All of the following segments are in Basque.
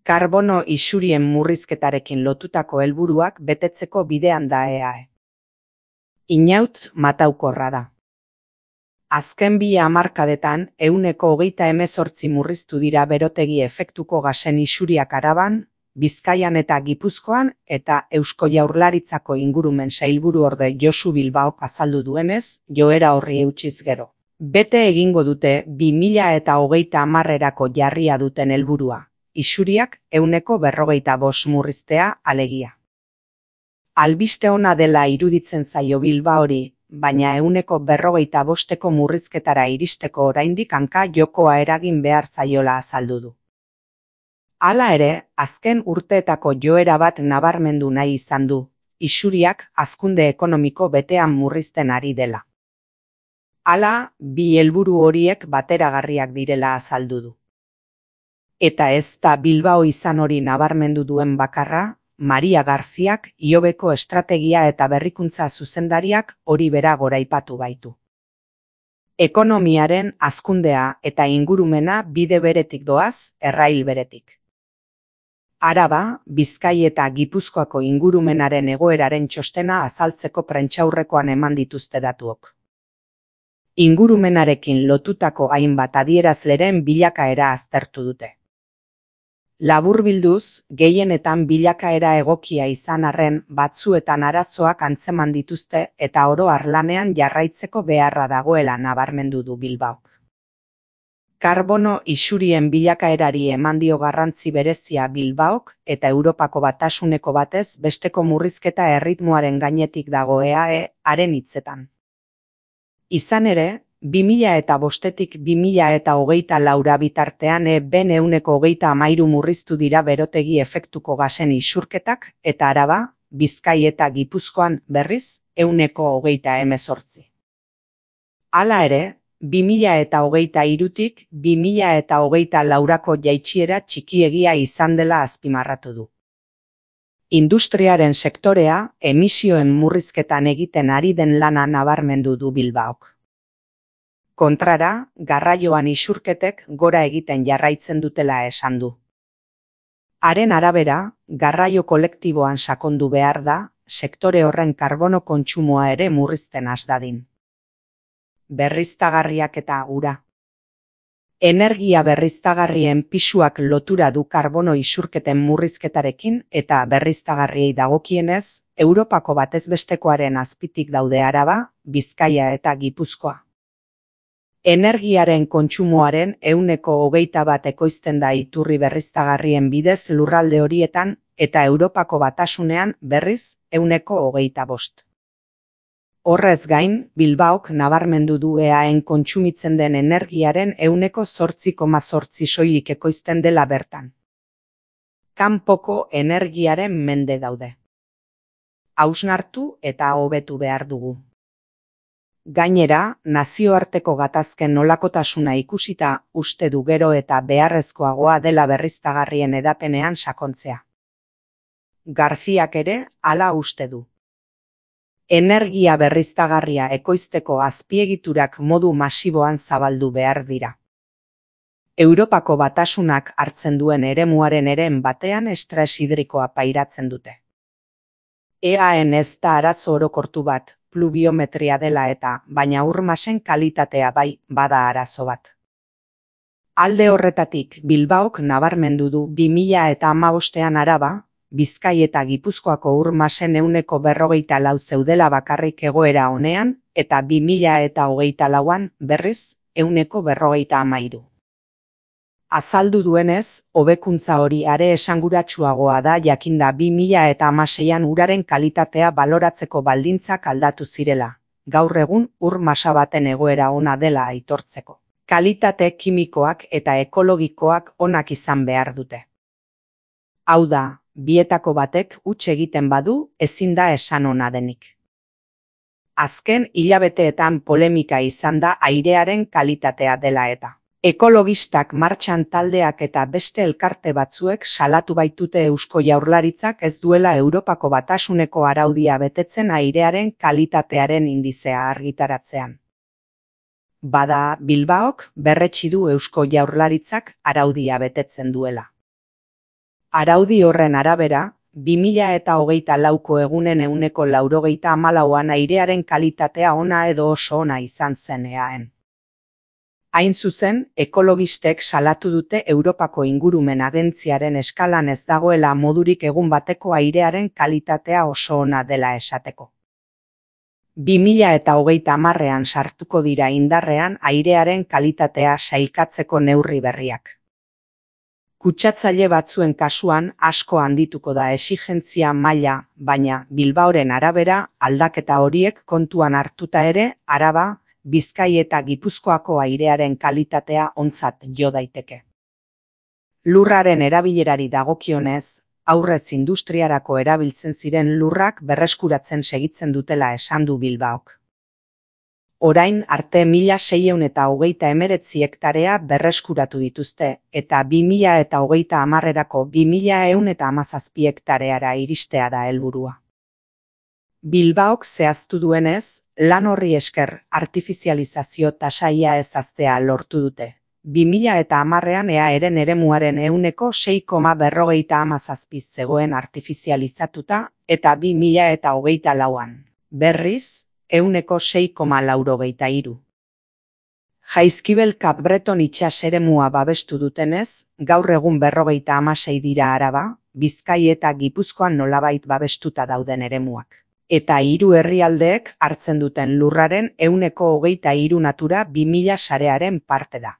Karbono isurien murrizketarekin lotutako helburuak betetzeko bidean da EAE. Inaut mataukorra da. Azken 2 hamarkadetan 28% murriztu dira berotegi efektuko gasen isuriak Araban, Bizkaian eta Gipuzkoan, eta Eusko Jaurlaritzako ingurumen sailburuorde Josu Bilbaok azaldu duenez, joera horri eutsiz gero. Bete egingo dute 2030erako jarria duten helburua, isuriak 45% murriztea alegia. Albiste ona dela iruditzen zaio Bilbaori, baina 45% murrizketara iristeko oraindik hanka jokoa eragin behar zaiola azaldu du. Hala ere, azken urteetako joera bat nabarmendu nahi izan du, isuriak hazkunde ekonomiko betean murrizten ari dela. Hala, 2 helburu horiek bateragarriak direla azaldu du. Eta ez da Bilbao izan hori nabarmendu duen bakarra, Maria Garziak Iobeko estrategia eta berrikuntza zuzendariak hori bera goraipatu baitu. Ekonomiaren hazkundea eta ingurumena bide beretik doaz, errail beretik. Araba, Bizkai eta Gipuzkoako ingurumenaren egoeraren txostena azaltzeko prentsaurrekoan eman dituzte datuok. Ingurumenarekin lotutako hainbat adierazleren bilakaera aztertu dute. Laburbilduz, gehienetan bilakaera egokia izan arren batzuetan arazoak antzeman dituzte eta oro har lanean jarraitzeko beharra dagoela nabarmendu du Bilbaok. Karbono isurien bilakaerari eman dio garrantzi berezia Bilbaok eta Europako Batasuneko batez besteko murrizketa erritmoaren gainetik dago EAE haren hitzetan. Izan ere, 2005-tik 2024 bitartean ben 130 murriztu dira berotegi efektuko gasen isurketak eta Araba, Bizkai eta Gipuzkoan berriz 128. Hala ere, 2023-tik 2024 jaitsiera txikiegia izan dela azpimarratu du. Industriaren sektorea emisioen murrizketan egiten ari den lana nabarmendu du Bilbaok. Kontrara, garraioan isurketek gora egiten jarraitzen dutela esan du. Haren arabera, garraio kolektiboan sakondu behar da, sektore horren karbono kontsumoa ere murrizten has dadin. Berriztagarriak eta ura. Energia berriztagarrien pisuak lotura du karbono isurketen murrizketarekin eta berriztagarriei dagokienez, Europako batezbestekoaren azpitik daude Araba, Bizkaia eta Gipuzkoa. Energiaren kontsumoaren 21% ekoizten da iturri berriztagarrien bidez lurralde horietan eta Europako Batasunean berriz 25%. Horrez gain, Bilbaok nabarmendu du EAEn kontsumitzen den energiaren 8,8% soilik ekoizten dela bertan. Kanpoko energiaren mende daude. Hausnartu eta hobetu behar dugu. Gainera, nazioarteko gatazken nolakotasuna ikusita uste du gero eta beharrezkoagoa dela berriztagarrien edapenean sakontzea. Garziak ere hala uste du. Energia berriztagarria ekoizteko azpiegiturak modu masiboan zabaldu behar dira. Europako Batasunak hartzen duen eremuaren eren batean estres hidrikoa pairatzen dute. EAEn ez da arazo orokortu bat, pluviometria dela eta, baina ur-masen kalitatea bai bada arazo bat. Alde horretatik, Bilbaok nabarmendu du 2015ean Araba, Bizkai eta Gipuzkoako ur-masen 144 zeudela bakarrik egoera honean, eta 2024an berriz 153. Azaldu duenez, hobekuntza hori are esanguratsuagoa da jakinda 2016an uraren kalitatea baloratzeko baldintzak aldatu zirela, gaur egun ur-masa baten egoera ona dela aitortzeko. Kalitate kimikoak eta ekologikoak onak izan behar dute. Hau da, bietako batek huts egiten badu ezin da esan ona denik. Azken hilabeteetan polemika izan da airearen kalitatea dela eta. Ekologistak martxan taldeak eta beste elkarte batzuek salatu baitute Eusko Jaurlaritzak ez duela Europako Batasuneko araudia betetzen airearen kalitatearen indizea argitaratzean. Bada, Bilbaok berretsi du Eusko Jaurlaritzak araudia betetzen duela. Araudi horren arabera, 2024ko egunen 94%an airearen kalitatea ona edo oso ona izan zen eaen. Hain zuzen, ekologistek salatu dute Europako Ingurumen Agentziaren eskalan ez dagoela modurik egun bateko airearen kalitatea oso ona dela esateko. 2030ean sartuko dira indarrean airearen kalitatea sailkatzeko neurri berriak. Kutsatzaile batzuen kasuan asko handituko da exigentzia maila, baina Bilbaoren arabera aldaketa horiek kontuan hartuta ere Araba, Bizkai eta Gipuzkoako airearen kalitatea ontzat jo daiteke. Lurraren erabilerari dagokionez, aurrez industriarako erabiltzen ziren lurrak berreskuratzen segitzen dutela esan du Bilbaok. Orain arte 1629 hektarea berreskuratu dituzte eta 2030erako 2117 hektareara iristea da helburua. Bilbaok zehaztu duenez, lan horri esker artifizializazio tasa ia ez haztea lortu dute. 2010ean eaeren eremuaren 6,57 zegoen artifizializatuta eta 2024an, berriz, 6,83. Jaizkibel Cap Breton itsas eremua babestu dutenez, gaur egun 56 dira Araba, Bizkai eta Gipuzkoan nolabait babestuta dauden eremuak. Eta 3 herrialdeek hartzen duten lurraren 23% natura 2000 sarearen parte da.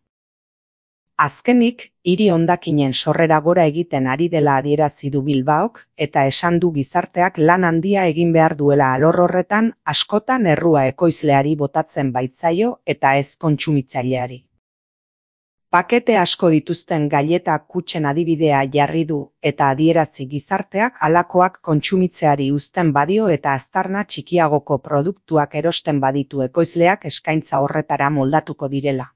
Azkenik, hiri hondakinen sorrera gora egiten ari dela adierazi du Bilbaok eta esan du gizarteak lan handia egin behar duela alor horretan askotan errua ekoizleari botatzen baitzaio eta ez kontsumitzaileari. Pakete asko dituzten gaileta kutxen adibidea jarri du eta adierazi gizarteak halakoak kontsumitzeari uzten badio eta aztarna txikiagoko produktuak erosten baditu ekoizleak eskaintza horretara moldatuko direla.